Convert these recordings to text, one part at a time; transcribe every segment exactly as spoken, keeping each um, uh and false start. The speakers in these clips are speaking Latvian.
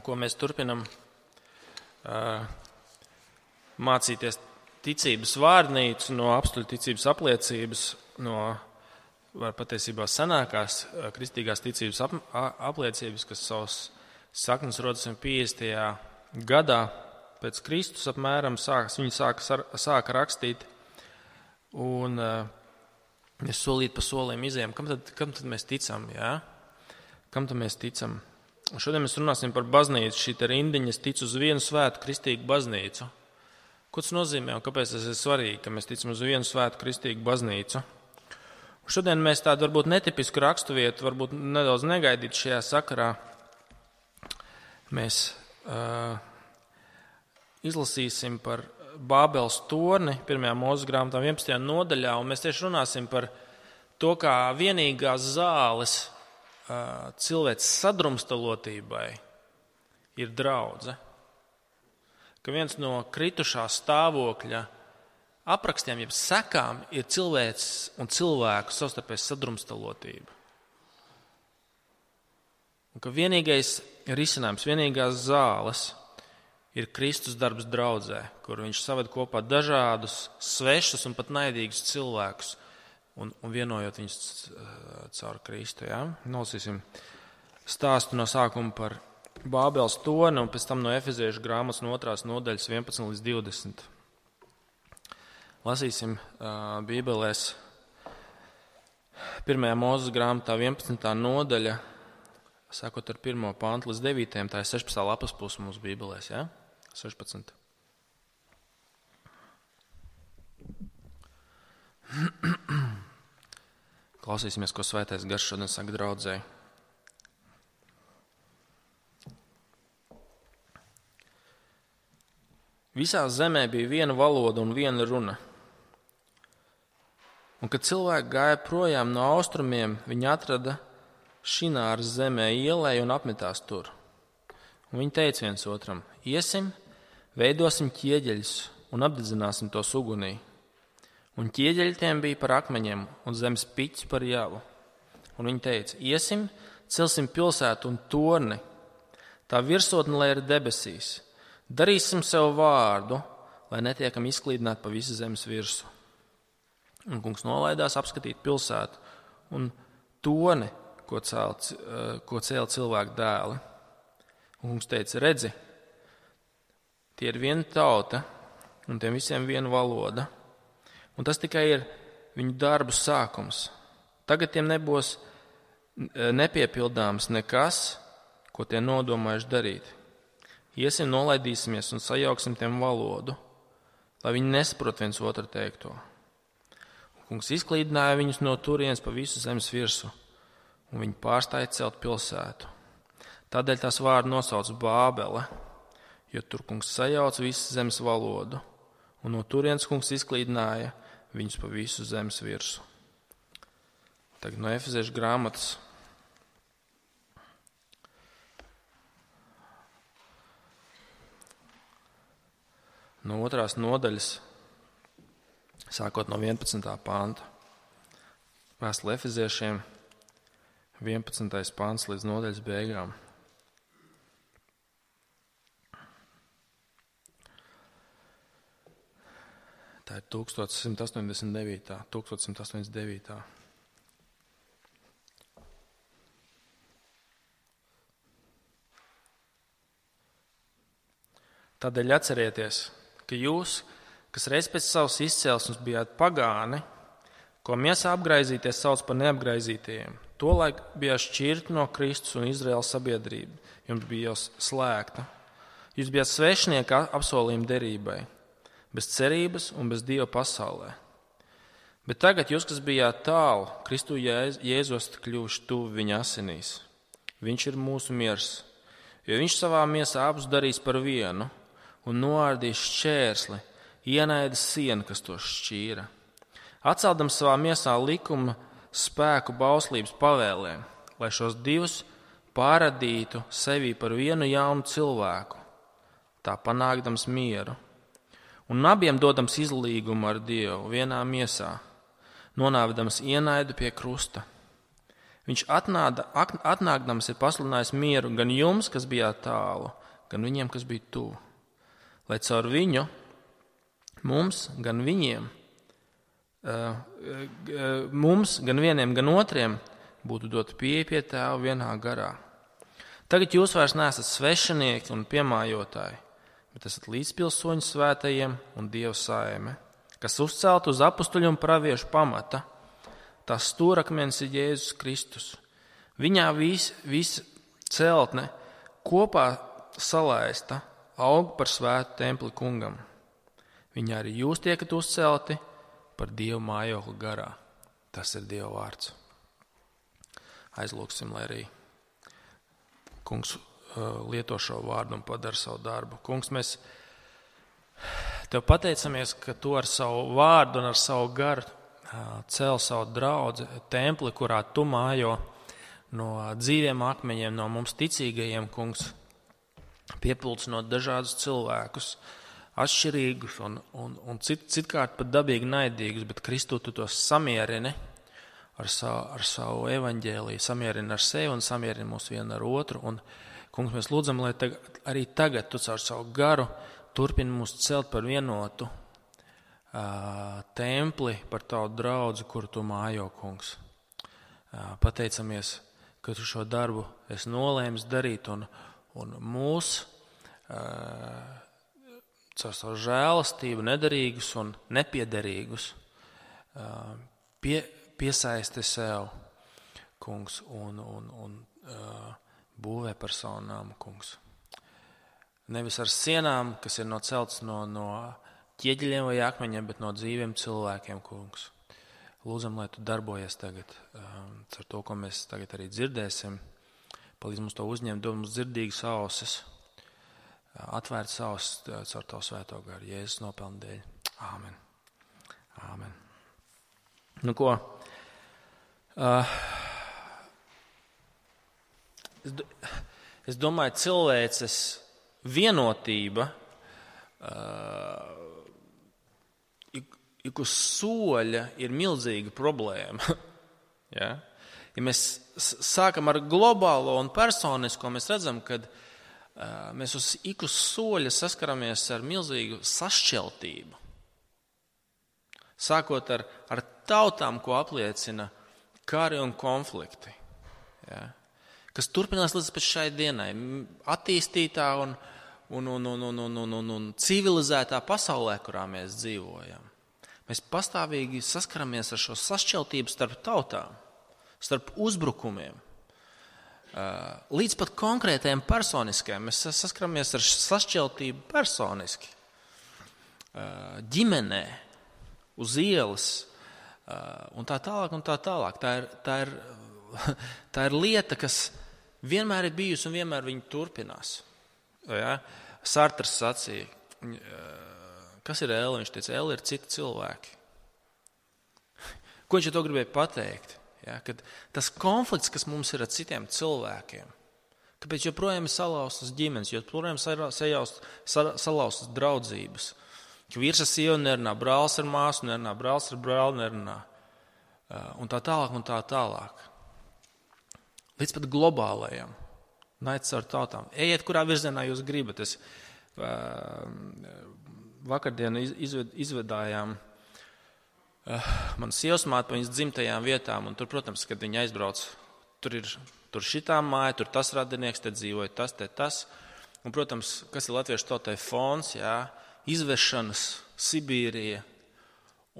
ko mēs turpinam uh, mācīties ticības vārnīcu no apstuļu ticības apliecības, no var patiesībā senākās uh, kristīgās ticības ap, apliecības, kas savus saknes rodas piecdesmitajā gadā pēc Kristus apmēram, sākas, viņi sāka, sāka rakstīt, un uh, mēs solīt pa soliem izējām. Kam tad, kam tad mēs ticam, jā? Kam tad mēs ticam? Un šodien mēs runāsim par baznīcu, šī te rindiņa, es ticu uz vienu svētu kristīgu baznīcu. Ko tas nozīmē un kāpēc tas ir svarīgi, ka mēs ticam uz vienu svētu kristīgu baznīcu? Un šodien mēs tādu varbūt netipisku raksturvietu, varbūt nedaudz negaidīt šajā sakarā. Mēs uh, izlasīsim par Bābeles torni pirmajā Mūzes grāmatā vienpadsmitajā nodaļā, un mēs tieši runāsim par to, kā vienīgās zāles uh, cilvēks sadrumstalotībai ir draudze. Ka viens no kritušā stāvokļa aprakstiem, jeb sekām, ir cilvēks un cilvēku savstarpējas sadrumstalotība. Un ka vienīgais risinājums, vienīgās zāles ir Kristus darbs draudzē, kur viņš saved kopā dažādus svešus un pat naidīgus cilvēkus un, un vienojot viņus caur Kristu. Ja? Nolasīsim stāstu no sākuma par Bābeles torni un pēc tam no Efeziešu grāmatas no otrās nodaļas vienpadsmit līdz divdesmit. Lasīsim uh, Bībelēs pirmajā Mūzes grāmatā vienpadsmitā nodaļa, sākot ar pirmo pantu līdz devītajam, tā ir sešpadsmitā lapas puse mūsu Bībelēs, ja? sešpadsmit. Klausīsimies, ko Svētais Gars šodien saka draudzē. Visā zemē bija viena valoda un viena runa. Un, kad cilvēki gāja projām no austrumiem, viņi atrada Šināras zemē ielai un apmetās tur. Un viņi teica viens otram, iesim, veidosim ķieģeļus un apdedzināsim tos ugunī. Un ķieģeļi tiem bija par akmeņiem un zemes piķis par javu. Un viņi teica, iesim, celsim pilsētu un torni, tā virsotne, lai ir debesīs. Darīsim sev vārdu, lai netiekam izklīdināt pa visu zemes virsu. Un kungs nolaidās apskatīt pilsētu un torni, ko cēl, ko cēl cilvēku dēli. Un kungs teica, redzi, tie ir viena tauta un tiem visiem viena valoda. Un tas tikai ir viņu darbu sākums. Tagad tiem nebūs nepiepildāms nekas, ko tie nodomājuši darīt. Iesim, nolaidīsimies un sajauksim tiem valodu, lai viņi nesaprot viens otru teikto. Un kungs izklīdināja viņus no turienes pa visu zemes virsu, un viņi pārstāja celt pilsētu. Tādēļ tās vārdu nosauc Bābele, jo tur kungs sajauc visu zemes valodu, un no turienes kungs izklīdināja viņus pa visu zemes virsu. Tagad no Efeziešu grāmatas. No otrās nodaļas, sākot no vienpadsmitā panta. Vēstule Efeziešiem, vienpadsmitais pants līdz nodaļas beigām. Tā ir tūkstoš simt astoņdesmit devītā. tūkstoš simt astoņdesmit devītā. Tādēļ atcerieties, ka jūs, kas reiz pēc savas izcelsmes bijāt pagāni, ko miesā apgraizīties sauc par neapgraizītajiem, tolaik bijāt šķirti no Kristus un Izraēlas sabiedrība, jums bija jau slēgta. Jūs bijāt svešinieki apsolījuma derībai, bez cerības un bez Dieva pasaulē. Bet tagad jūs, kas bijāt tālu, Kristu Jēzu esat kļuvuši tuvi viņa asinīs. Viņš ir mūsu miers, jo viņš savā miesā abus darīs par vienu un noārdīs šķērsli, ienaida sienu, kas to šķīra. Atceldams savā miesā likuma spēku bauslības pavēlēm, lai šos divus pārradītu sevī par vienu jaunu cilvēku, tā panākdams mieru. Un abiem dodams izlīgumu ar Dievu vienā miesā, nonāvedams ienaidu pie krusta. Viņš atnāda, atnākdams ir pasludinājis mieru gan jums, kas bijāt tālu, gan viņiem, kas bija tuvu. Lai caur viņu, mums, gan viņiem, mums, gan vieniem, gan otriem, būtu dota pieeja pie Tēva vienā garā. Tagad jūs vairs neesat svešinieki un piemājotāji, bet esat līdzpilsoņi svētajiem un Dieva saime, kas uzcelt uz apustuļu un praviešu pamata. Tās stūrakmens ir Jēzus Kristus. Viņā vis, vis celtne kopā salaista aug par svētu templi kungam. Viņā arī jūs tiekat uzcelti par Dieva mājokli garā. Tas ir Dieva vārds. Aizlūksim, lai arī Kungs lieto šo vārdu un padara savu darbu. Kungs, mēs Tev pateicamies, ka Tu ar savu vārdu un ar savu garu cēl savu draudzi, templi, kurā Tu mājo no dzīviem akmeņiem, no mums ticīgajiem, Kungs, piepulcinot dažādus cilvēkus, atšķirīgus un, un, un cit, citkārt pat dabīgi naidīgus, bet Kristu Tu tos samierini ar savu, ar savu evaņģēliju, samierini ar sevi un samierini mūs vienu ar otru. Un, Kungs, mēs lūdzam, lai tagad, arī tagad Tu caur savu garu turpini mūs celt par vienotu templi, par Tavu draudzi, kuru Tu mājo, Kungs. Pateicamies, ka Tu šo darbu esi nolēmis darīt un, un mūs caur savu žēlastību nedarīgus un nepiederīgus pie, piesaisti sev, Kungs, un, un, un būvē par savu nāmu, Kungs. Nevis ar sienām, kas ir noceltas no, no ķieģeļiem vai akmeņiem, bet no dzīviem cilvēkiem, Kungs. Lūdzam, lai Tu darbojies tagad um, ar to, ko mēs tagad arī dzirdēsim. Palīdz mums to uzņemt, dod mums dzirdīgas ausis, atvērt ausis caur Tavu svēto garu, Jēzus nopelnu dēļ. Āmen. Āmen. Nu ko? Uh, es, es domāju, cilvēces vienotība uh, ik uz soļa ir milzīga problēma. Ja? Ja mēs sākam ar globālo un personisko, mēs redzam, ka uh, mēs uz ik uz soļa saskaramies ar milzīgu sašķeltību. Sākot ar, ar tautām, ko apliecina kari un konflikti. Ja? Kas turpinās līdz pat šai dienai. Attīstītā un, un, un, un, un, un, un, un civilizētā pasaulē, kurā mēs dzīvojam. Mēs pastāvīgi saskaramies ar šo sašķeltību starp tautām, starp uzbrukumiem, līdz pat konkrētajiem personiskajiem. Mēs saskaramies ar sašķeltību personiski, ģimenē, uz ielas un tā tālāk un tā tālāk. Tā ir, tā ir, tā ir lieta, kas vienmēr ir bijusi un vienmēr viņa turpinās. Ja? Sartrs sacīja, kas ir elle? Viņš teica, elle ir citi cilvēki. Ko viņš ar to gribēja pateikt? Ja, kad tas konflikts, kas mums ir ar citiem cilvēkiem, kāpēc joprojām ir salauztas ģimenes, joprojām salauztas draudzības, ka vīrs ar sievu nerunā, brālis ar māsu nerunā, brālis ar brāli nerunā, un tā tālāk un tā tālāk. Līdz pat globālajam, naids ar tautām. Ejiet, kurā virzienā jūs gribat. Es, vakardien izved, izvedājām uh, manas sievas māte pa viņas dzimtajām vietām, un tur, protams, kad viņi aizbrauc, tur ir tur šitā māja, tur tas radinieks, te dzīvoja tas, te tas. Un, protams, kas ir latviešu tautai fons, jā, izvešanas, Sibīrija,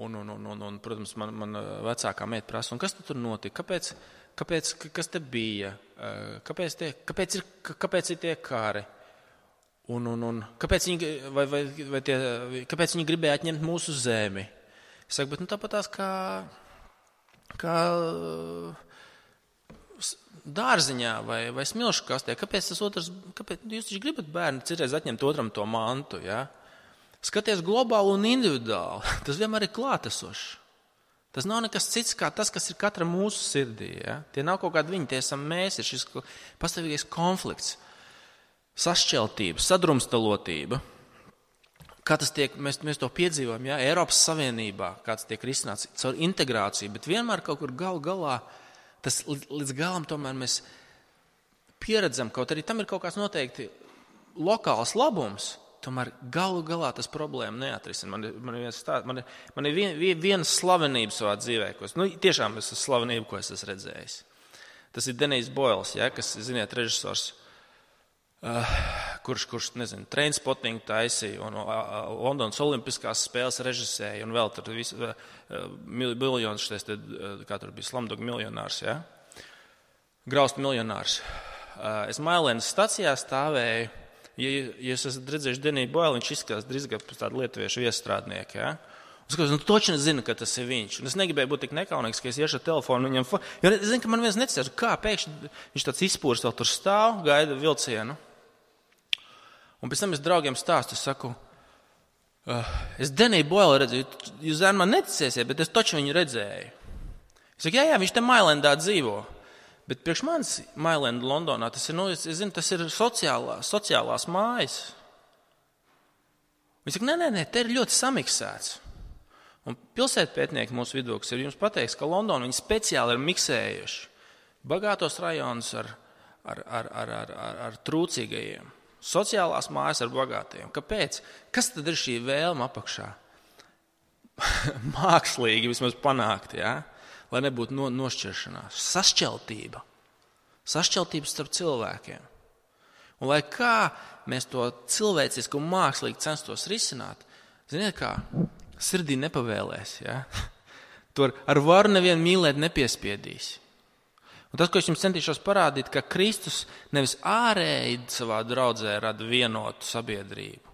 un, un, un, un, un protams, man, man vecākā meita prasa, un kas tur notika? Kāpēc, kāpēc, kas te bija? Kāpēc, tie, kāpēc, ir, kāpēc ir tie kari? Un, un, un kāpēc, viņi, vai, vai, vai tie, kāpēc viņi gribēja atņemt mūsu zemi? Es saku, bet nu, tāpat tās kā, kā dārziņā vai, vai smilšu kastē. Kāpēc tas otrs, kāpēc jūs taču gribat bērni citreiz atņemt otram to mantu? Ja? Skaties globāli un individuāli. Tas vienmēr ir klātesošs. Tas nav nekas cits kā tas, kas ir katra mūsu sirdī. Ja? Tie nav kaut kādi viņi, tie esam mēs, ir šis pastāvīgais konflikts. Sašķeltība, sadrumstalotība, kā tas tiek, mēs, mēs to piedzīvojam, jā, Eiropas Savienībā, kā tas tiek risināts caur integrāciju, bet vienmēr kaut kur gal galā tas līdz galam tomēr mēs pieredzam, kaut arī tam ir kaut kāds noteikti lokāls labums, tomēr galu galā tas problēma neatrisina. Man, man, man, man ir vien, viena slavenība savā dzīvē, ko es, nu, tiešām es esmu slavenība, ko es esmu redzējis. Tas ir Denijs Boils, ja, kas, ziniet, režisors, Uh, kurš, kurš, nezinu, Trainspotting taisīja un uh, Londonas olimpiskās spēles režisēja un vēl tur visu, uh, miljonus šitais, te, uh, kā tur bija Slumdog miljonārs, ja? Graust miljonārs. Uh, es Mailēnas stacijā stāvēju, ja, ja jūs esat redzējuši Deniju Boilu, viņš izskatās drīzāk pēc tādu lietuviešu viestrādnieku, ja? Un es skatos, nu toči nezinu, ka tas ir viņš. Un es negribēju būt tik nekaunīgs, ka es iešu ar telefonu viņam, jo es zinu, ka man viens necēs, kā pēkšņi viņš tāds izpūrs vēl tur stāv, gaida vilcienu. Un pēc tam es draugiem stāstu, es saku, uh, es Deniju Boilu redzēju, jūs zēn man neticēsiet, bet es taču viņu redzēju. Es saku, jā, jā, viņš te Mailendā dzīvo. Bet priekš manis Mailenda Londonā, tas ir, nu, es, es zinu, tas ir sociālā, sociālās mājas. Viņš saka, nē, nē, nē, te ir ļoti samiksēts. Un pilsētpētnieki mūsu vidū, kas ir jums pateiks, ka Londonu viņi speciāli ir miksējuši bagātos rajonus ar, ar, ar, ar, ar, ar, ar trūcīgajiem. Sociālās mājas ar bagātiem. Kāpēc? Kas tad ir šī vēlme apakšā? Mākslīgi vismaz panākt, ja? Lai nebūtu no, nošķiršanās. Sašķeltība. Sašķeltība starp cilvēkiem. Un lai kā mēs to cilvēciski un mākslīgi censtos risināt, ziniet kā, sirdī nepavēlēs, ja? Tur ar varu nevienu mīlēt nepiespiedīs. Un tas, ko es jums centīšos parādīt, ka Kristus nevis ārēji savā draudzē rada vienotu sabiedrību,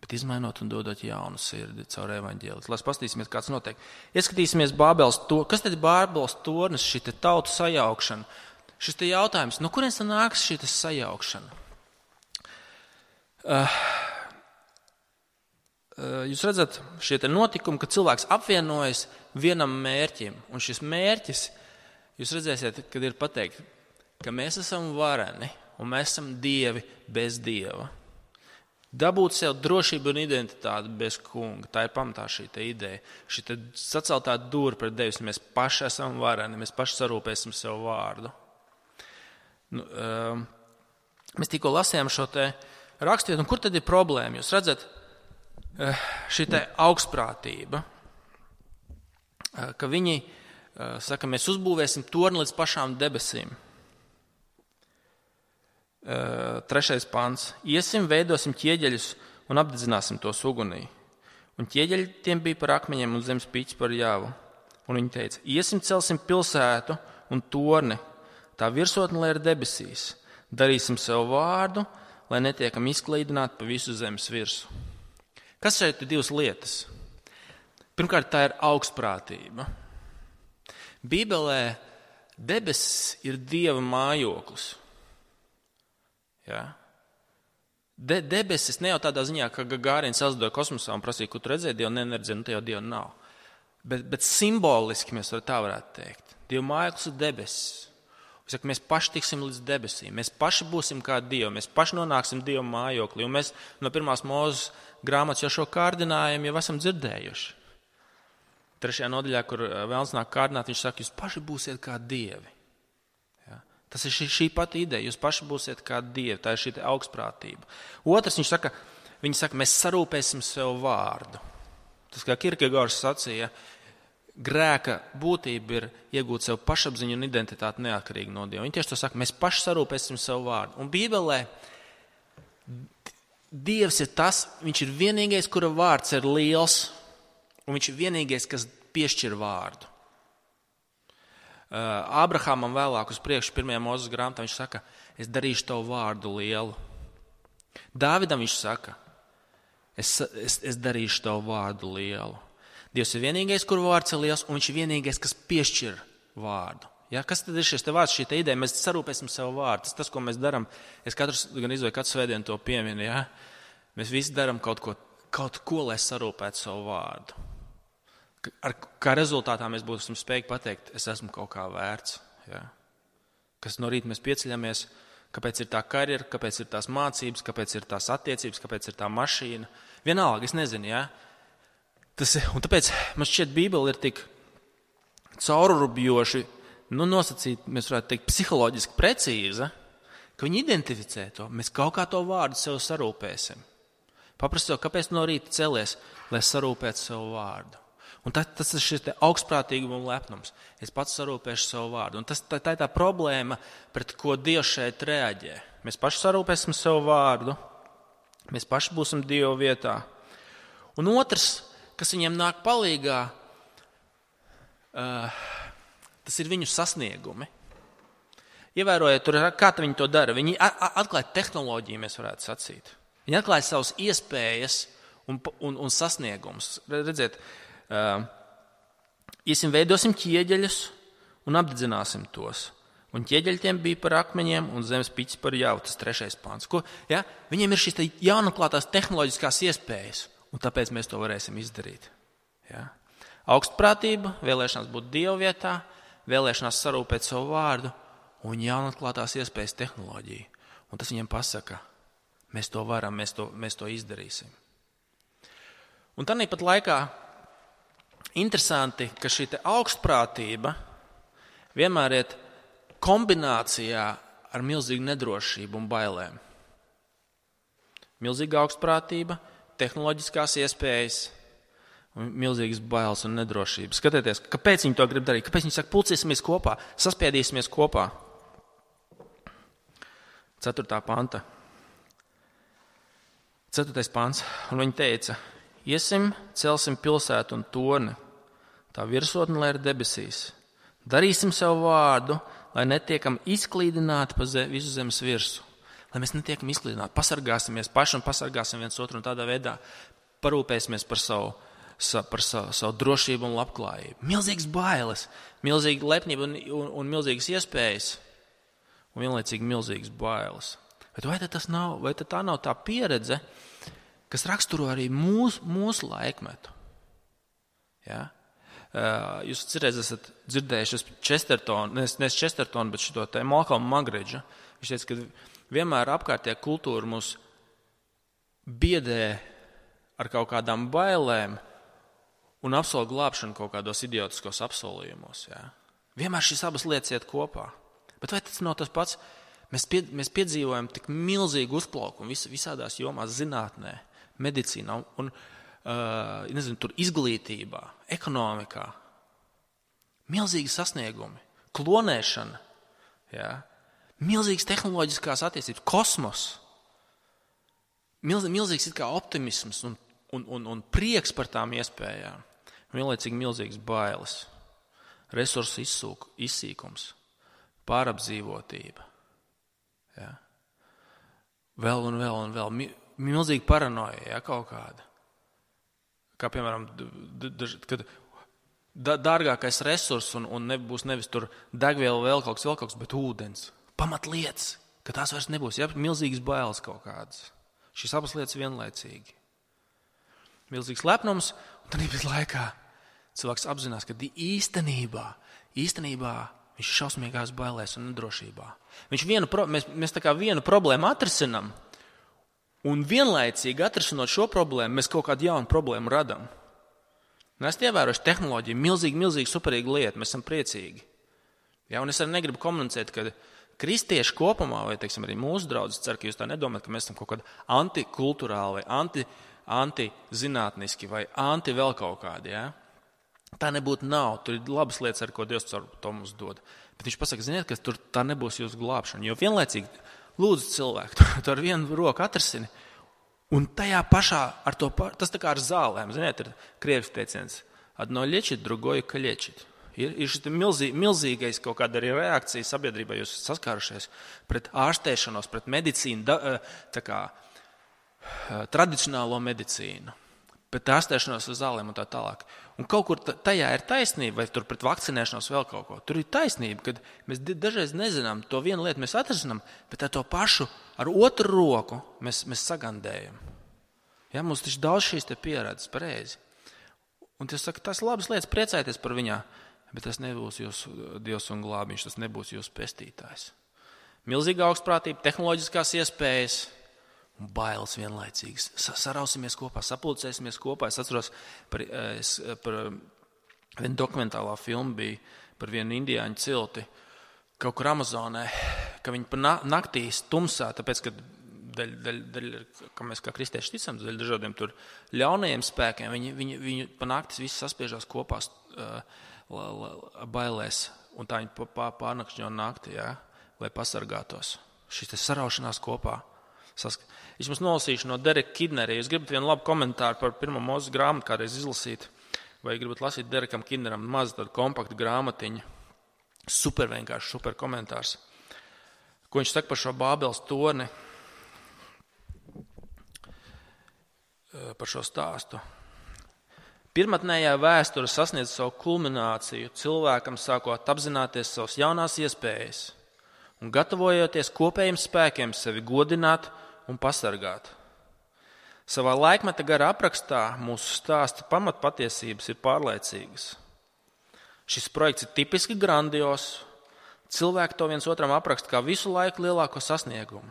bet izmainot un dodot jaunu sirdi caur evaņģēliju. Lai paskatīsimies, kāds notiek. Ieskatīsimies Bābeles to, kas tad ir Bābeles tornis, šī te tautu sajaukšana? Šis te jautājums, no kurienes nāks šī te sajaukšana? Uh, uh, jūs redzat, šie te notikumi, ka cilvēks apvienojas vienam mērķim, un šis mērķis, jūs redzēsiet, kad ir pateikt, ka mēs esam vareni un mēs esam dievi bez dieva. Dabūt sev drošību un identitāti bez kunga. Tā ir pamatā šī te ideja. Šī te saceltā dūra pret Dievu. Mēs paši esam vareni, mēs paši sarūpēsim sev vārdu. Nu, um, mēs tikko lasījām šo te rakstiet, un kur tad ir problēma? Jūs redzat, šī te augstprātība, ka viņi saka, mēs uzbūvēsim torni līdz pašām debesīm. Trešais pants. Iesim, veidosim ķieģeļus un apdedzināsim tos ugunī. Un ķieģeļi tiem bija par akmeņiem un zemes pīķis par jāvu. Un viņi teica, iesim, celsim pilsētu un torni, tā virsotne, lai ir debesīs. Darīsim sev vārdu, lai netiekam izklīdināti pa visu zemes virsu. Kas šeit ir divas lietas? Pirmkārt, tā ir augstprātība. Bībelē debesis ir Dieva mājoklis. Ja? De, debesis ne jau tādā ziņā, ka Gagārins aizlidoja kosmosā un prasīja, ko tu redzēji, Dievu neneredzēji, nu te jau Dievu nav. Bet, bet simboliski mēs tā varētu teikt. Dieva mājoklis ir debesis. Saka, mēs paši tiksim līdz debesīm, mēs paši būsim kā Dievi, mēs paši nonāksim Dieva mājoklī. Un mēs no pirmās Mūzes grāmatas jau šo kārdinājumu jau esam dzirdējuši. Trešajā nodaļā, kur vēlns nāk kārdināt, viņš saka, jūs paši būsiet kā dievi. Ja? Tas ir šī, šī pati ideja, jūs paši būsiet kā dievi, tā ir šī augstprātība. Otrs, viņš saka, viņi saka, mēs sarūpēsim sev vārdu. Tas, kā Kierkegaards sacīja, grēka būtība ir iegūt sev pašapziņu un identitāti neatkarīgi no Dieva. Viņi tieši to saka, mēs paši sarūpēsim sev vārdu. Un Bībelē Dievs ir tas, viņš ir vienīgais, kura vārds ir liels, un viņš ir vienīgais, kas piešķir vārdu. Ābrahamam vēlāk uz priekšu pirmajā Mūzes grāmatā viņš saka, es darīšu tavu vārdu lielu. Dāvidam viņš saka, es, es, es darīšu tavu vārdu lielu. Dievs ir vienīgais, kur vārds ir liels, un viņš ir vienīgais, kas piešķir vārdu. Ja, kas tad ir šis te vārds, šī te ideja? Mēs sarūpēsim savu vārdu. Tas, tas, ko mēs darām, es katrs, gan izvēju katru svētdienu to pieminu, ja? Mēs visi darām kaut ko, kaut ko, lai sarūpētu savu vārdu. Ar kā rezultātā mēs būsim spējīgi pateikt, es esmu kaut kā vērts. Ja? Kas no rīta mēs pieceļamies, kāpēc ir tā karjera, kāpēc ir tās mācības, kāpēc ir tās attiecības, kāpēc ir tā mašīna. Vienalga, es nezinu, ja? Tas, un tāpēc man šķiet Bībele ir tik caururubjoši nu, nosacīt, mēs varētu teikt, psiholoģiski precīza, ka viņi identificē to. Mēs kaut kā to vārdu sev sarūpēsim. Paprasti jau, kāpēc no rīta celies, lai sarūpētu savu vārdu. Un tas, tas ir šis augstprātīgums un lepnums. Es pats sarūpēšu savu vārdu. Un tas, tā, tā ir tā problēma, pret ko Dievs šeit reaģē. Mēs paši sarūpēsim savu vārdu. Mēs paši būsim Dieva vietā. Un otrs, kas viņiem nāk palīgā, uh, tas ir viņu sasniegumi. Ievērojiet, tur, kā viņi to dara. Viņi atklāja tehnoloģiju, mēs varētu sacīt. Viņi atklāja savas iespējas un, un, un sasniegumus. Redziet, uh, iesim veidosim ķieģeļus un apdedzināsim tos. Un ķieģeļi tiem bija par akmeņiem un zemes piķis par jau, tas trešais pāns. Ko, ja? Viņiem ir šīs jaunatklātās tehnoloģiskās iespējas, un tāpēc mēs to varēsim izdarīt. Ja? Augstprātība, vēlēšanās būt Dieva vietā, vēlēšanās sarūpēt savu vārdu un jaunatklātās iespējas tehnoloģiju. Un tas viņiem pasaka, mēs to varam, mēs to, mēs to izdarīsim. Un tāpat laikā interesanti, ka šī augstprātība vienmēr iet kombinācijā ar milzīgu nedrošību un bailēm. Milzīga augstprātība, tehnoloģiskās iespējas un milzīgas bailes un nedrošības. Skatieties, kāpēc viņi to grib darīt, kāpēc viņi saka, pulcēsimies kopā, saspiedīsimies kopā. Ceturtā panta. Ceturtais pants. Un viņi teica, iesim, celsim pilsētu un torni, tā virsotne, lai ir debesīs. Darīsim savu vārdu, lai netiekam izklīdināti pa zem, visu zemes virsu. Lai mēs netiekam izklīdināti, pasargāsimies paši un pasargāsim viens otru un tādā veidā parūpēsimies par savu, sa, par savu, savu drošību un labklājību. Milzīgas bailes, milzīga lepnība un, un, un milzīgas iespējas un vienlaicīgi milzīgas bailes. Bet vai tas nav, vai tā nav tā pieredze, kas raksturo arī mūsu, mūsu laikmetu? Ja? Jūs cerēs esat dzirdējuši Chestertonu, ne, ne Chestertonu, bet šito te Malcolmu Muggeridžu. Viņš teica, ka vienmēr apkārtējā kultūra mūs biedē ar kaut kādām bailēm un apsola glābšanu kaut kādos idiotiskos apsolījumos. Ja? Vienmēr šīs abas lietas iet kopā. Bet vai tas nav tas pats? Mēs, pie, mēs piedzīvojam tik milzīgu uzplaukumu vis, visādās jomās, zinātnē, medicīnā un uh, nezinu, tur izglītībā, ekonomikā. Milzīgi sasniegumi, klonēšana, ja? Milzīgas tehnoloģiskās attīstības, kosmos, milz, milzīgs it kā optimisms un, un, un, un prieks par tām iespējām, vienlaicīgi milzīgas bailes, resursu izsūk, izsīkums, pārapdzīvotība. Ja? Vēl un vēl un vēl. Milzīga paranoja, ja, kaut kāda. Kā piemēram, kad dārgākais resurs un, un nebūs nevis tur degviela vēl kaut kas, vēl kaut kas, bet ūdens. Pamatlietas, ka tās vairs nebūs. Ja? Milzīgas bailes kaut kādas. Šīs abas lietas vienlaicīgi. Milzīgs lepnums, un tad bija laikā cilvēks apzinās, ka īstenībā, īstenībā viņš ir šausmīgās bailēs un nedrošībā. Viņš vienu, mēs, mēs tā kā vienu problēmu atrisinam, un vienlaicīgi atrisinot šo problēmu, mēs kaut kādu jaunu problēmu radam. Un es ievērošu tehnoloģiju, milzīgi, milzīgi superīga lieta, mēs esam priecīgi. Ja, un es arī negribu komunicēt, ka kristieši kopumā, vai teiksim, arī mūsu draudzes, ceru, ka jūs tā nedomājat, ka mēs esam kaut kādi antikulturāli, vai anti, antizinātniski, vai anti vēl kaut kādi, ja? Tā nebūtu nav, tur ir labas lietas, ar ko Dievs caur to mums dod. Bet viņš pasaka, ziniet, ka tur tā nebūs jūsu glābšana, jo vienlaicīgi lūdzu cilvēku, tu ar vienu roku atrisini, un tajā pašā, ar to, tas tā kā ar zālēm, ziniet, ir krievis teiciens, adno ļečit, drugoju ka ļečit. Ir, ir šis milzī, milzīgais kaut kāda arī reakcija sabiedrībā, jūs saskārušies pret ārstēšanos, pret medicīnu, da, tā kā tradicionālo medicīnu. Bet ārstēšanos uz zālēm un tā tālāk. Un kaut kur tajā ir taisnība, vai tur pret vakcinēšanos vēl kaut ko. Tur ir taisnība, kad mēs dažreiz nezinām, to vienu lietu mēs atrisinām, bet ar to pašu, ar otru roku mēs, mēs sagandējam. Ja, mums taču daudz šīs te pieredzes, pareizi. Un tas saka, tas labas lietas, priecājieties par viņā, bet tas nebūs jūsu Dievs un glābiņš, tas nebūs jūsu pestītājs. Milzīga augstprātība, tehnoloģiskās iespējas, un bailes vienlaicīgas. Sarausimies kopā, sapulcēsimies kopā. Es atceros, par, es, par vienu dokumentālā filmu bija par vienu indiāņu cilti kaut kur Amazonē, ka viņi pa naktīs tumsā, tāpēc, ka daļ, daļ, daļ, ka mēs kā kristieši ticam, daļ dažādiem tur ļaunajiem spēkiem, viņi, viņi, viņi pa naktis visi saspiežās kopā uh, bailēs, un tā viņi pārnakšņo nakti, jā, lai pasargātos. Šis te saraušanās kopā. Sask... Es jums nolasīšu no Dereka Kidnera. Ja jūs gribat vienu labu komentāru par pirmo Mūzes grāmatu kādreiz izlasīt, vai gribat lasīt Derekam Kidneram mazu tādu kompaktu grāmatiņu. Super vienkārši, super komentārs. Ko viņš saka par šo Bābeles torni, par šo stāstu. Pirmatnējā vēsture sasniedz savu kulmināciju, cilvēkam sākot apzināties savas jaunās iespējas un gatavojoties kopējiem spēkiem sevi godināt un pasargāt. Savā laikmeta gara aprakstā mūsu stāsta pamatpatiesības ir pārliecīgas. Šis projekts ir tipiski grandios. Cilvēki to viens otram apraksta kā visu laiku lielāko sasniegumu.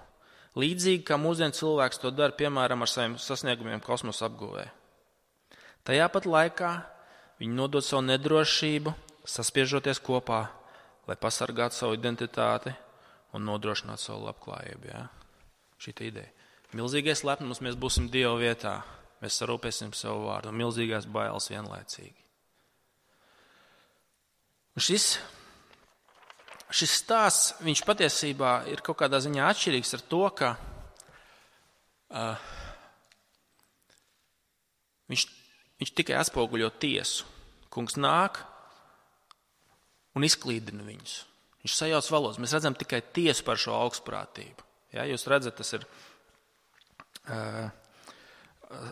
Līdzīgi kā mūsdienu cilvēks to dara, piemēram, ar saviem sasniegumiem kosmosa apguvē. Tajā pat laikā viņi nodod savu nedrošību, saspiežoties kopā, lai pasargātu savu identitāti un nodrošinātu savu labklājību. Ja? Šī tā ideja. Milzīgais lepnums, mēs būsim Dieva vietā. Mēs sarūpēsim savu vārdu. Milzīgās bailes vienlaicīgi. Un šis, šis stāsts, viņš patiesībā ir kaut kādā ziņā atšķirīgs ar to, ka uh, viņš, viņš tikai atspoguļo tiesu. Kungs nāk un izklīdina viņus. Viņš sajauc valodas. Mēs redzam tikai tiesu par šo augstprātību. Ja, jūs redzat, tas ir uh, uh,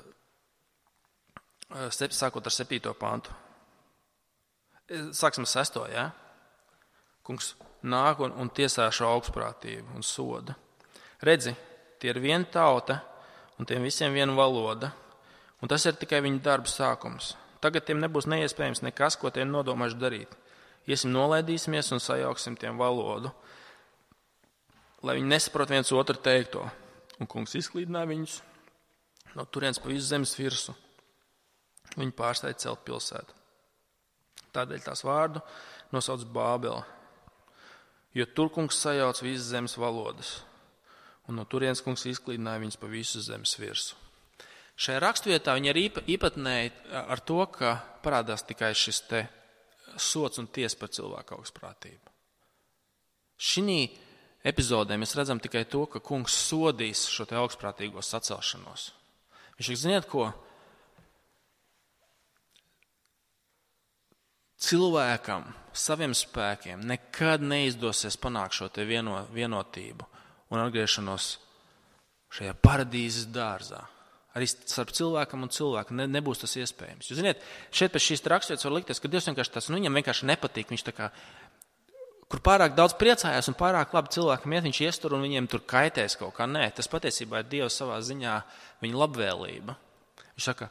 sākot ar septīto pantu. Sāksim sesto, ja? Kungs nāk un, un tiesā šo augstprātību un soda. Redzi, tie ir viena tauta un tiem visiem viena valoda. Un tas ir tikai viņu darba sākums. Tagad tiem nebūs neiespējams nekas, ko tiem nodomājuši darīt. Iesim nolaidīsimies un sajauksim tiem valodu, lai viņi nesaprot viens otru teikto. Un kungs izklīdināja viņus no turienes pa visu zemes virsu. Viņi pārsteidz celt pilsētu. Tādēļ tās vārdu nosauc Bābele, jo tur kungs sajauc visas zemes valodas. Un no turienes kungs izklīdināja viņus pa visu zemes virsu. Šajā rakstvietā viņi ir īpatnēji ar to, ka parādās tikai šis te sots un tiesa par cilvēku augstprātību. Šī epizodē mēs redzam tikai to, ka kungs sodīs šo te augstprātīgo sacelšanos. Viņš saka, ziniet ko? Cilvēkam, saviem spēkiem nekad neizdosies panākt šo te vieno, vienotību un atgriešanos šajā paradīzes dārzā. Arī starp cilvēkam un cilvēku ne, nebūs tas iespējams. Jūs ziniet, šeit pēc šīs raksturvietas var likties, ka Dievs vienkārši tas, nu, viņam vienkārši nepatīk. Viņš tā kā, kur pārāk daudz priecājās un pārāk labi cilvēkam iet, viņš iestur un viņiem tur kaitēs kaut kā. Nē, tas patiesībā ir Dievs savā ziņā viņa labvēlība. Viņš saka,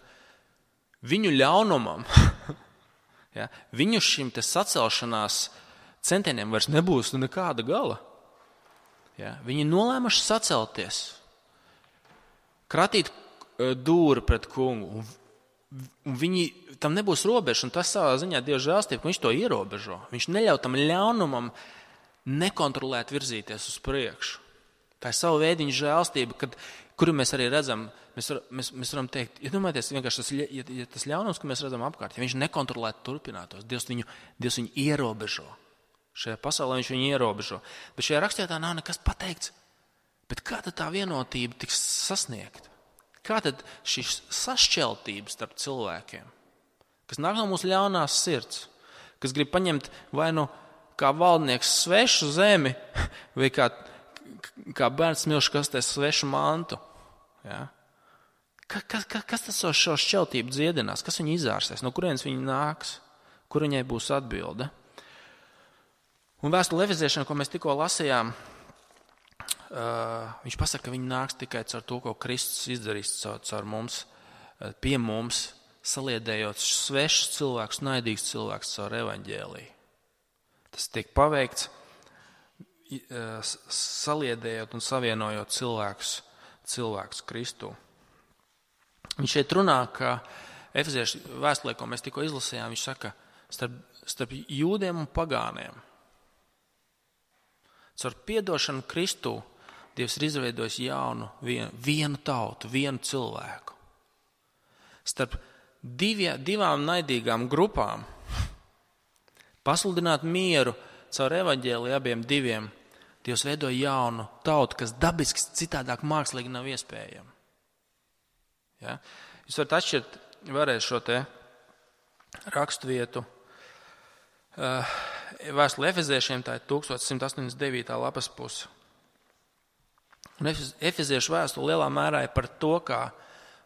viņu ļaunumam, ja, viņu šim te sacelšanās centieniem vairs nebūs nekāda gala. Ja, viņi nolēmuši sacelties, kratīt dūri pret kungu, un, un viņi, tam nebūs robeža, un tas savā ziņā Dieva žēlstība, ka viņš to ierobežo. Viņš neļauj tam ļaunumam nekontrolēt virzīties uz priekšu. Tā ir sava veidiņa žēlstība, kad, kuru mēs arī redzam, mēs, var, mēs, mēs varam teikt, ja domāties, vienkārši tas, ja, ja tas ļaunums, ko mēs redzam apkārt, ja viņš nekontrolētu turpinātos, Dievs viņu, Dievs viņu ierobežo. Šajā pasaulē viņš viņu ierobežo. Bet šajā rakstvietā nav nekas pateikts. Bet kā tad tā vienotība tiks sasniegta? Kā tad šīs sašķeltības starp cilvēkiem, kas nāk no mūsu ļaunās sirds, kas grib paņemt vai nu kā valdnieks svešu zemi, vai kā, kā bērns smilšu kastē svešu mantu? Ja? Ka, ka, ka, kas tas šo šķeltību dziedinās? Kas viņu izārstēs? No kurienes viņi nāks? Kur viņai būs atbilde? Un vēstule Efeziešiem, ko mēs tikko lasījām, Uh, viņš pasaka, ka viņi nāks tikai caur to, ko Kristus izdarīs caur, caur mums, pie mums, saliedējot svešus cilvēkus, naidīgus cilvēkus caur evaņģēliju. Tas tiek paveikts, uh, saliedējot un savienojot cilvēkus, cilvēkus Kristu. Viņš šeit runā, ka Efeziešu vēstulē, ko mēs tikko izlasījām, viņš saka, starp, starp jūdiem un pagāniem. Caur piedošanu Kristū Dievs ir izveidojis jaunu, vienu, vienu tautu, vienu cilvēku. Starp divie, divām naidīgām grupām pasludināt mieru caur evaņģēliju abiem diviem. Dievs veido jaunu tautu, kas dabiski citādāk mākslīgi nav iespējama. Ja? Jūs varat atšķirt vēlreiz šo te raksturvietu. Uh, Vēstule Efeziešiem, tā ir tukstot simt astoņdesmit devītā lapas puse. Un Efeziešu vēstule lielā mērā ir par to, kā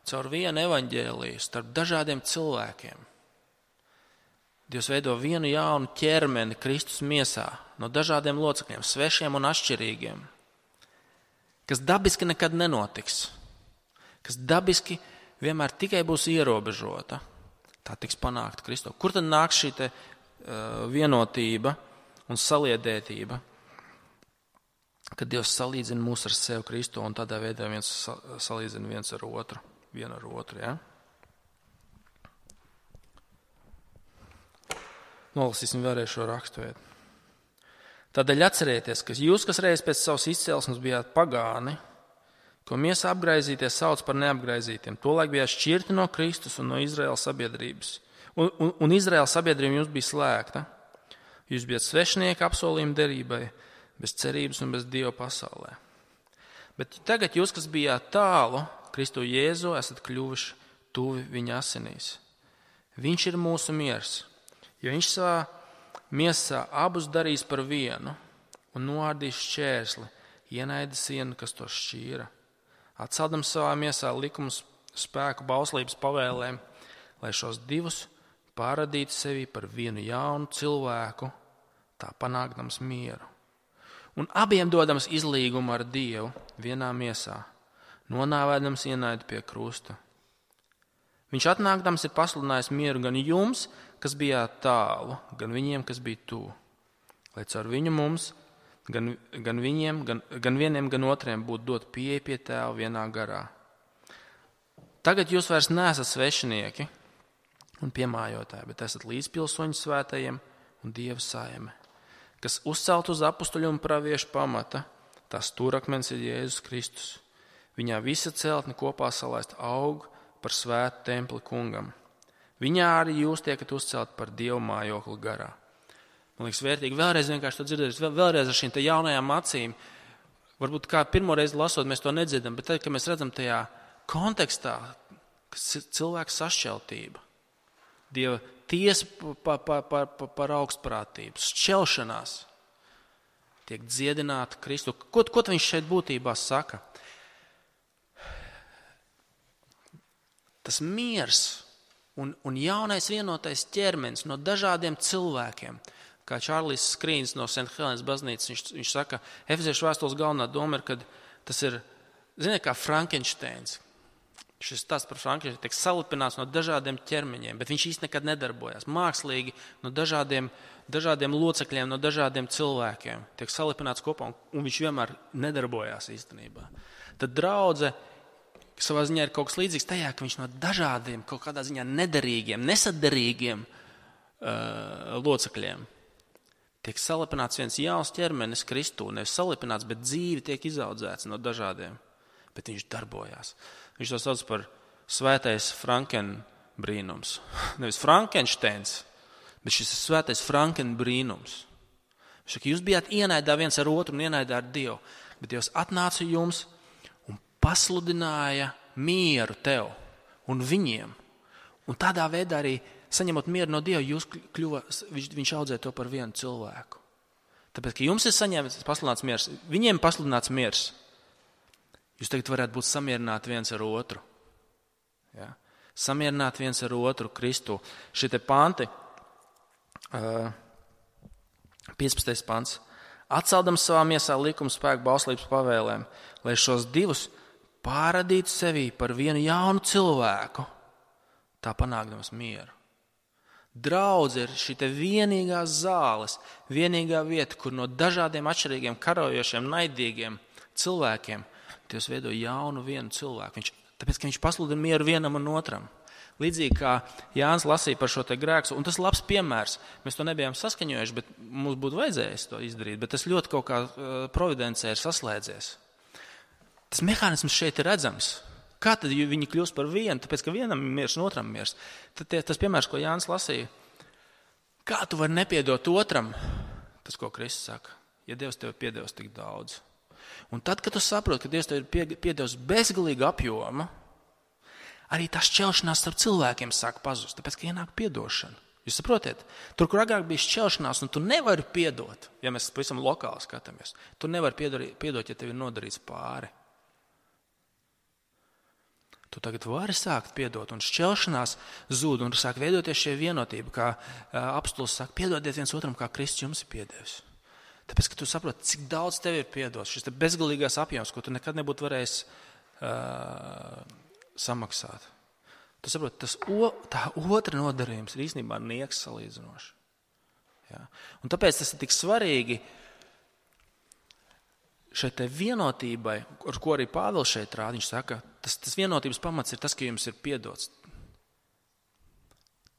caur vienu evaņģēliju starp dažādiem cilvēkiem Dievs veido vienu jaunu ķermeni Kristus miesā no dažādiem locekļiem, svešiem un atšķirīgiem, kas dabiski nekad nenotiks, kas dabiski vienmēr tikai būs ierobežota. Tā tiks panākta Kristu. Kur tad nāk šī te, uh, vienotība un saliedētība, kad Dievs salīdzina mūs ar sevi Kristu un tādā veidā viens salīdzina viens ar otru, vienu ar otru, ja? Nolasīsim vēlreiz šo raksturvietu. Tādēļ atcerieties, ka jūs, kas reiz pēc savas izcelsmes bijāt pagāni, ko miesā apgraizīties sauc par neapgraizītiem, tolaik bijāt šķirti no Kristus un no Izraēlas sabiedrības. Un, un, un Izraēlas sabiedrība jums bija slēgta. Jūs bijat svešinieki apsolījuma derībai, bez cerības un bez Dieva pasaulē. Bet tagad jūs, kas bijāt tālu, Kristu Jēzu, esat kļuvuši tuvi viņa asinīs. Viņš ir mūsu miers. Jo viņš savā miesā abus darīs par vienu un noārdīs šķērsli, ienaida sienu, kas to šķīra. Atceldams savā miesā likums spēku bauslības pavēlēm, lai šos divus pārradītu sevi par vienu jaunu cilvēku, tā panākdams mieru. Un abiem dodams izlīgumu ar Dievu vienā miesā, nonāvēdams ienaidu pie krusta. Viņš atnākdams ir pasludinājis mieru gan jums, kas bijāt tālu, gan viņiem, kas bija tuvu. Lai caur viņu mums, gan, gan viņiem, gan, gan vieniem, gan otriem būtu dot pieeja pie Tēva vienā garā. Tagad jūs vairs neesat svešinieki un piemājotāji, bet esat līdzpilsoņi svētajiem un Dieva saime, kas uzcelt uz apustuļu un praviešu pamata, tās stūrakmens ir Jēzus Kristus. Viņā visa celtne kopā salaist aug par svētu templi kungam. Viņā arī jūs tiekat uzcelt par Dievu mājokli garā. Man liekas vērtīgi vēlreiz vienkārši to dzirdēt, vēlreiz ar šīm te jaunajām acīm. Varbūt kā pirmoreiz lasot, mēs to nedzirdam, bet tad, kad mēs redzam tajā kontekstā, cilvēka sašķeltība, Dieva tiesa par pa, pa, pa, pa augstprātību, šķelšanās, tiek dziedināta Kristu. Ko, ko viņš šeit būtībā saka? Tas miers un, un jaunais vienotais ķermenis no dažādiem cilvēkiem, kā Čārlis Skrīns no Saint Helens baznīcas, viņš, viņš saka, Efeziešu vēstules galvenā doma ir, ka tas ir, ziniet, kā Frankensteins. Šis stāsts par Frankensteinu tiek salipināts no dažādiem ķermeņiem, bet viņš īsti nekad nedarbojās. Mākslīgi no dažādiem, dažādiem locekļiem, no dažādiem cilvēkiem tiek salipināts kopā, un, un viņš vienmēr nedarbojās īstenībā. Tad draudze savā ziņā ir kaut kas līdzīgs tajā, ka viņš no dažādiem, kaut kādā ziņā nederīgiem, nesaderīgiem uh, locekļiem tiek salipināts viens jauns ķermenis Kristū. Nevis salipināts, bet dzīvi tiek izaudzēts no dažādiem. Bet viņš darbojās. Viņš to sauc par svētais Franken brīnums. Nevis Frankensteins, bet šis ir svētais Franken brīnums. Viņš saka, jūs bijāt ienaidā viens ar otru un ienaidā ar Dievu, bet Dievs atnāca jums pasludināja mieru tev un viņiem. Un tādā veidā arī, saņemot mieru no Dieva, jūs kļuva, viņš, viņš audzēja to par vienu cilvēku. Tāpēc, ka jums ir saņemts pasludināts miers, viņiem pasludināts miers, jūs tagad varētu būt samierināti viens ar otru. Ja? Samierināti viens ar otru Kristu. Šie te panti, uh, piecpadsmitais pants, atceldams savā miesā likuma spēku bauslības pavēlēm, lai šos divus pārradītu sevī par vienu jaunu cilvēku, tā panākdams mieru. Draudze ir šī te vienīgās zāles, vienīgā vieta, kur no dažādiem atšķirīgiem, karojošiem, naidīgiem cilvēkiem Dievs veido jaunu vienu cilvēku. Viņš Tāpēc, ka viņš pasludina mieru vienam un otram. Līdzīgi kā Jānis lasīja par šo te grēku, un tas ir labs piemērs. Mēs to nebijām saskaņojuši, bet mums būtu vajadzējis to izdarīt, bet tas ļoti kaut kā providencē ir saslēdzies. Tas mehānisms šeit ir redzams. Kā tad viņi kļūst par vienu? Tāpēc, ka vienam ir miers un otram miers. Tad tie, tas piemērs, ko Jānis lasīja, kā tu vari nepiedot otram? Tas, ko Kristus saka, ja Dievs tev piedevis tik daudz. Un tad, kad tu saproti, ka Dievs tev ir piedevis bezgalīgu apjomu, arī tā šķelšanās starp cilvēkiem sāk pazust, tāpēc, ka ienāk piedošana. Jūs saprotiet? Tur, kur agrāk bija šķelšanās, un tu nevari piedot, ja mēs pavisam lokāli skatāmies, tu nevari piedot, piedot, ja tev ir nodarīts pāri. Tu tagad vari sākt piedot, un šķelšanās zūd, un sāk veidoties šie vienotība, kā apostuls saka, piedodiet viens otram, kā Kristus jums ir piedevis. Tāpēc, ka tu saproti, cik daudz tev ir piedots, šis te bezgalīgais apjoms, ko tu nekad nebūtu varējis uh, samaksāt. Tu saproti, tas o, tā otra nodarījums ir īstenībā nieks salīdzinoši. Ja? Un tāpēc tas ir tik svarīgi šai te vienotībai, ar ko arī Pāvils šeit rāda, viņš saka, tas, tas vienotības pamats ir tas, ka jums ir piedots.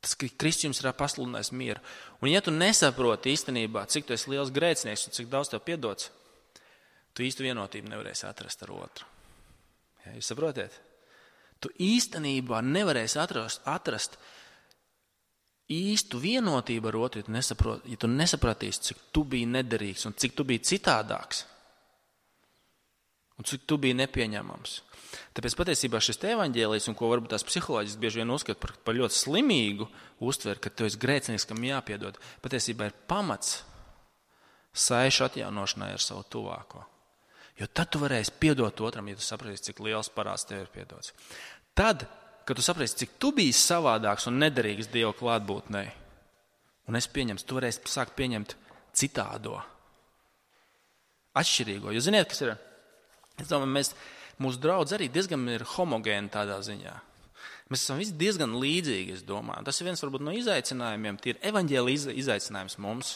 Tas, ka Kristus jums ir pasludinājis mieru. Un ja tu nesaproti īstenībā, cik tu esi liels grēcinieks un cik daudz tev piedots, tu īstu vienotību nevarēsi atrast ar otru. Ja, jūs saprotiet? Tu īstenībā nevarēsi atrast, atrast īstu vienotību ar otru, ja tu, nesaprot, ja tu nesapratīsi, cik tu biji nederīgs un cik tu biji citādāks. Un cik tu biji nepieņemams. Tāpēc patiesībā šis evaņģēlijs, un ko varbūt tās psiholoģiski bieži vien uzskata par, par ļoti slimīgu uztveri, ka tu esi grēcinieks, kam jāpiedod, patiesībā ir pamats saišu atjaunošanai ar savu tuvāko. Jo tad tu varēsi piedot otram, ja tu sapratīsi, cik liels parāds tev ir piedots. Tad, kad tu sapratīsi, cik tu biji savādāks un nederīgs Dieva klātbūtnei, un es pieņemtu, tu varēsi sākt pieņemt citādo, atšķirīgo. Jo ziniet, kas ir? Es domāju, mēs, mūsu draudz arī diezgan ir homogēni tādā ziņā. Mēs esam visi diezgan līdzīgi, es domāju. Tas ir viens varbūt no izaicinājumiem, tie ir evaņģēlija izaicinājums mums.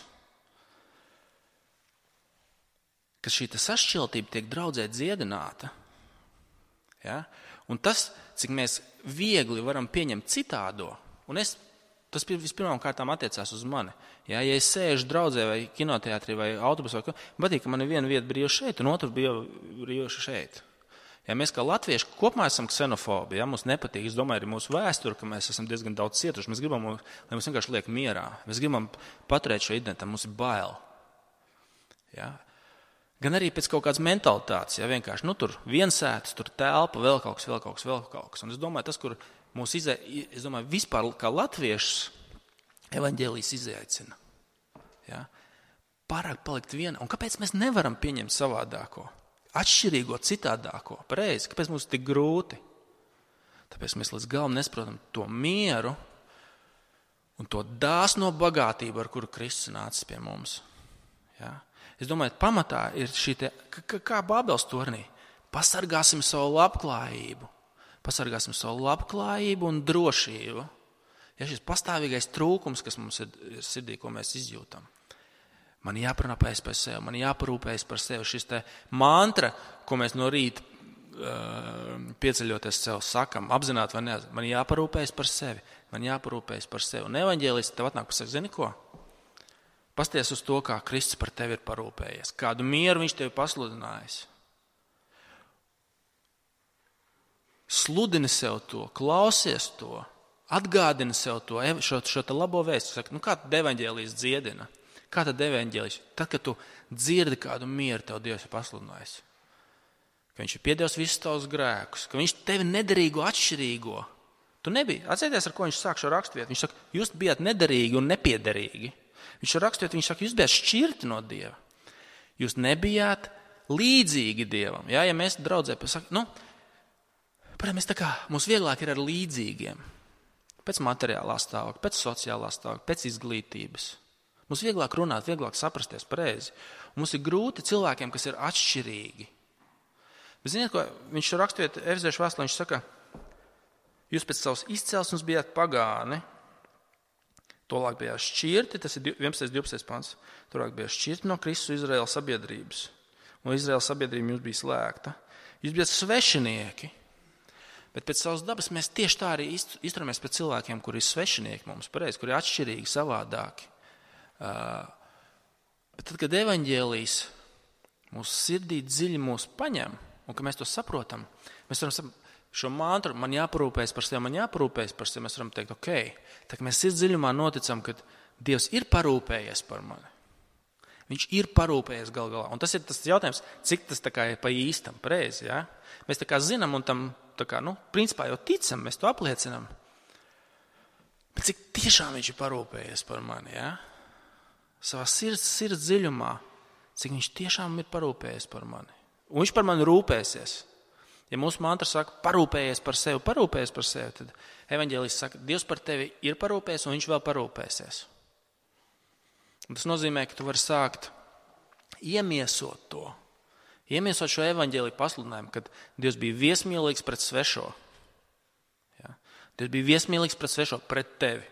Ka šī sašķeltība tiek draudzē dziedināta. Ja? Un tas, cik mēs viegli varam pieņemt citādo, un es, tas vispirmām kārtām attiecās uz mani. Ja, ja es sēžu draudzē vai kinoteātrī vai autobusā, patīk, ka man ir viena vieta brīva šeit un otra brīva šeit. Ja mēs kā latvieši kopumā esam ksenofobi, ja, mums nepatīk, es domāju, arī mūsu vēsture, ka mēs esam diezgan daudz cietuši, mēs gribam, lai mums vienkārši liek mierā. Mēs gribam paturēt šo identitāti, mums ir bail. Ja. Gan arī pēc kaut kādas mentalitātes, ja vienkārši, nu tur viensētas, tur telpa, vēl kaut kas, vēl kaut kas, vēl kaut kas. Un es domāju, tas, kur mūs izai, es domāju, vispār kā latviešus evaņģēlijs izaicina. Ja? Pārāk palikt viena. Un kāpēc mēs nevaram pieņemt savādāko, atšķirīgo, citādāko? Pareizi, kāpēc mums tik grūti? Tāpēc mēs līdz galam nesaprotam to mieru un to dāsno bagātību, ar kuru Kristus nācis pie mums. Ja? Es domāju, pamatā ir šī te, kā, kā Bābeles tornī, pasargāsim savu labklājību, pasargāsim savu labklājību un drošību. Ja šis pastāvīgais trūkums, kas mums ir sirdī, ko mēs izjūtam. Man jāparūpējas par sevi, man jāparūpējas par sevi. Šis te mantra, ko mēs no rīta uh, pieceļoties sev sakam, apzināti vai neapzināti, man jāparūpējas par sevi, man jāparūpējas par sevi. Un evaņģēlists tev atnāk pasaka, zini ko? Pasties uz to, kā Kristus par tevi ir parūpējies, kādu mieru viņš tevi pasludinājis. Sludini sev to, klausies to. Atgādina sev to, šo, šo te labo vēstu. Saka, nu kā tad evaņģēlijs dziedina? Kā tad evaņģēlijs? Tad, kad tu dzirdi kādu mieru, tev Dievs ir pasludinājis. Ka viņš ir piedevis visus tavus grēkus. Ka viņš tevi nederīgo, atšķirīgo. Tu nebija. Atcerieties, ar ko viņš sāk šo raksturvietu. Viņš saka, jūs bijāt nederīgi un nepiederīgi. Viņš šo raksturvietu, viņš saka, jūs bijāt šķirti no Dieva. Jūs nebijāt līdzīgi Dievam. Jā, ja mēs draudzē pasaka, nu, parādz, mēs tā kā, mums vieglāk ir ar līdzīgiem. Pēc materiālā stāvokļa, pēc sociālā stāvokļa, pēc izglītības. Mums vieglāk runāt, vieglāk saprasties pareizi. Un mums ir grūti cilvēkiem, kas ir atšķirīgi. Bet ziniet, ko viņš raksturiet Efeziešu vēstulē, viņš saka, jūs pēc savas izcelsmes bijāt pagāni, tolāk bijāt šķirti, tas ir vienpadsmitais divpadsmitais pants, tolāk bijāt šķirti no Kristus Izraēla sabiedrības. Un Izraēla sabiedrība jums bija slēgta. Jūs bijāt svešinieki. Bet pēc savas dabas mēs tieši tā arī izturamies pret cilvēkiem, kuri ir svešinieki mums, pareizi, kuri ir atšķirīgi, savādāki. Uh, bet tad, kad evaņģēlijs mūsu sirdī dziļi mūs paņem, un ka mēs to saprotam, mēs varam saprast, šo mantru, man jāparūpējas par sevi, man jāparūpējas par sevi, mēs varam teikt, ok, tā kā mēs sirds dziļumā noticam, ka Dievs ir parūpējies par mani. Viņš ir parūpējies gal galā. Un tas ir tas jautājums, cik tas tā kā ir pa īstam, pareizi, ja? Mēs tā kā zinām un tam, tā kā, nu, principā jau ticam, mēs to apliecinam. Bet cik tiešām viņš ir parūpējies par mani, ja? Savā sirds, sirds dziļumā, cik viņš tiešām ir parūpējies par mani. Un viņš par mani rūpēsies. Ja mūsu mantra saka, parūpējies par sevi, parūpējies par sevi, tad evaņģēlijs saka, Dievs par tevi ir parūpējies un viņš vēl parūpēsies. Un tas nozīmē, ka tu vari sākt iemiesot to, iemiesot šo evaņģēliju pasludinājumu, kad Dievs bija viesmīlīgs pret svešo. Ja? Dievs bija viesmīlīgs pret svešo, pret tevi.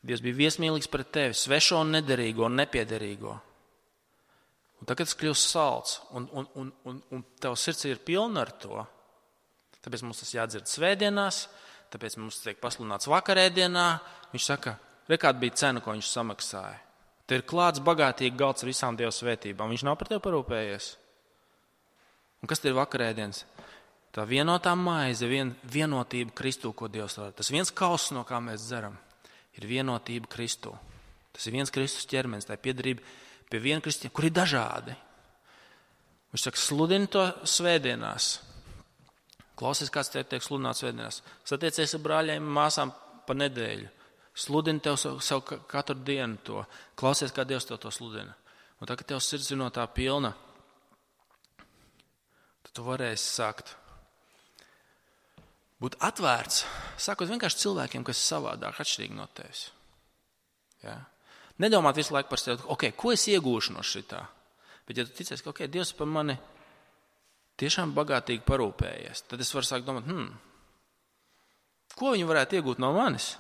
Dievs bija viesmīlīgs pret tevi, svešo un nederīgo un nepiederīgo. Un tagad tas kļūst salds, un, un, un, un, un tev sirds ir pilna ar to. Tāpēc mums tas jādzird svētdienās, tāpēc mums tiek pasludināts vakarēdienā. Viņš saka, re, kāda bija cena, ko viņš samaksāja. Te ir klāts bagātīgi galds ar visām Dieva svētībām. Viņš nav par tevi parūpējies. Un kas te ir vakarēdienas? Tā vienotā maize, vien, vienotība Kristū, ko Dievs var. Tas viens kauss, no kā mēs dzeram, ir vienotība Kristū. Tas ir viens Kristus ķermenis, tā ir piederība pie viena Kristīna, kur ir dažādi. Viņš saka, sludini to svētdienās. Klausies, kāds tev tiek sludināts svētdienās. Satiecies ar brāļiem, māsām pa nedēļu. Sludini tev savu, savu katru dienu to. Klausies, kā Dievs tev to sludina. Un tā, ka tev sirds ir no tā pilna, tad tu varēsi sākt būt atvērts, sākot vienkārši cilvēkiem, kas ir savādāk, atšķirīgi no tevis. Ja? Nedomāt visu laiku par sevi, ok, ko es iegūšu no šitā. Bet ja tu ticies, ka ok, Dievs par mani tiešām bagātīgi parūpējies, tad es varu sākt domāt, hmm, ko viņi varētu iegūt no manis?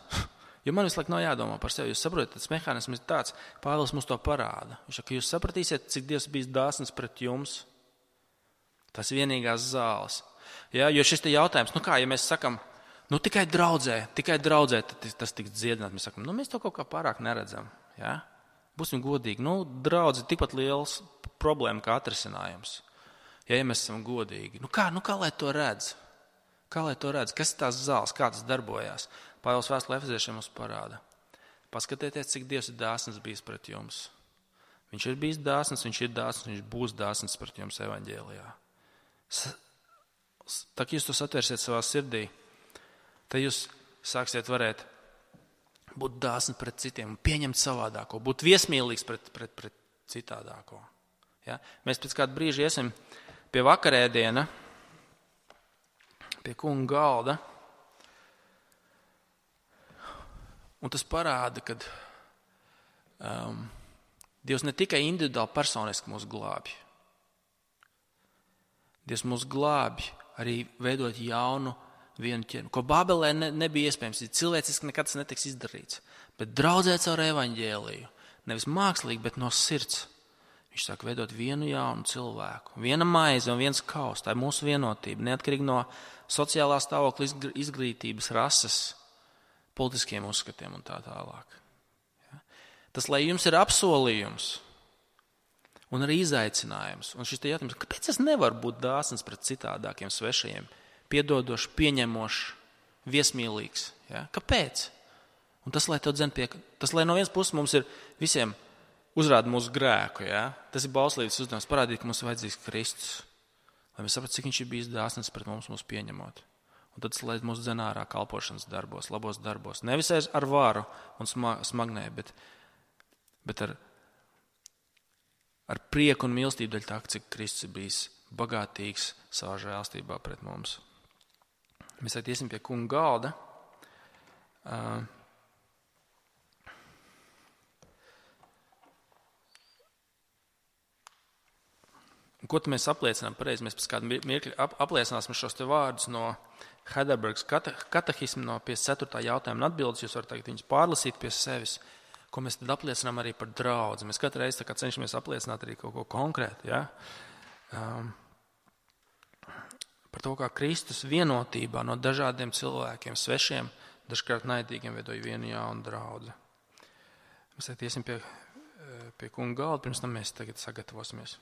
Jo man visu laiku nav jādomā par sevi. Jūs saprotat, tas mehānisms ir tāds, Pāvils mums to parāda. Viņš saka, ka jūs sapratīsiet, cik Dievs bijis dāsns pret jums. Tas ir vienīgās zāles. Ja, jo šis te jautājums, nu kā, ja mēs sakam, nu tikai draudzē, tikai draudzē, tad tas tiks dziedināt. Mēs sakam, nu mēs to kaut kā pārāk neredzam. Ja? Būsim godīgi. Nu, draudz ir tikpat liels problēma kā atrisinājums. Ja, ja mēs esam godīgi. Nu kā, nu kā lai to redz? Kā lai to redz? Kas ir tās zāles? Kā tas darbojās? Pāvils vēstulē Efeziešiem mums parāda. Paskatieties, cik Dievs ir dāsns bijis pret jums. Viņš ir bijis dāsns, viņš ir dāsns, viņš būs dāsns pret jums evaņģēlijā. Tā, ka jūs to satversiet savā sirdī, tad jūs sāksiet varēt būt dāsni pret citiem, pieņemt savādāko, būt viesmīlīgs pret, pret, pret citādāko. Ja? Mēs pēc kāda brīža iesim pie vakarēdiena, pie kunga galda, un tas parāda, ka um, Dievs ne tikai individuāli personiski mūs glābj. Dievs mūs glābj arī veidot jaunu vienu ķermeni, ko Bābelē ne, nebija iespējams. Cilvēciski nekad tas netiks izdarīts. Bet draudzēt caur evaņģēliju, nevis mākslīgi, bet no sirds. Viņš sāk veidot vienu jaunu cilvēku. Viena maize un viens kaus. Tā ir mūsu vienotība. Neatkarīgi no sociālā stāvokļa, izglītības, rases, politiskiem uzskatiem un tā tālāk. Ja? Tas, lai jums ir apsolījums un arī izaicinājums. Un šis te jautājums, kāpēc es nevaru būt dāsns pret citādākiem svešajiem? Piedodošs, pieņemošs, viesmīlīgs. Ja? Kāpēc? Un tas, lai tev dzen pie, tas, lai no vienas puses mums ir visiem uzrāda mūsu grēku. Ja? Tas ir bauslības uzdevums parādīt, ka mums ir vajadzīgs Kristus. Lai mēs saprastu, cik viņš ir bijis dāsns pret mums, mūs pieņemot. Un tad, lai mūs dzen ārā kalpošanas darbos, labos darbos. Nevis ar varu un smagnē, bet, bet ar, ar prieku un mīlestību daļ tā, cik Kristus ir bijis bagātīgs savā žēlstībā pret mums. Mēs tagad iesim pie kunga galda. Uh, ko tad mēs apliecinām pareizi? Mēs pēc kādu mirkļu apliecināsim šos te vārdus no Heidelbergas katehisma no piecdesmit ceturtā jautājuma un atbildes. Jūs varat tagad viņus pārlasīt pie sevis, ko mēs tad apliecinām arī par draudzi. Mēs katru reizi tā kā cenšamies apliecināt arī kaut ko konkrētu. Ja? Um, par to, kā Kristus vienotībā no dažādiem cilvēkiem, svešiem, dažkārt naidīgiem veidoja vienu jaunu draudzi. Mēs tagad iesim pie, pie kunga galda, pirms tam mēs tagad sagatavosimies.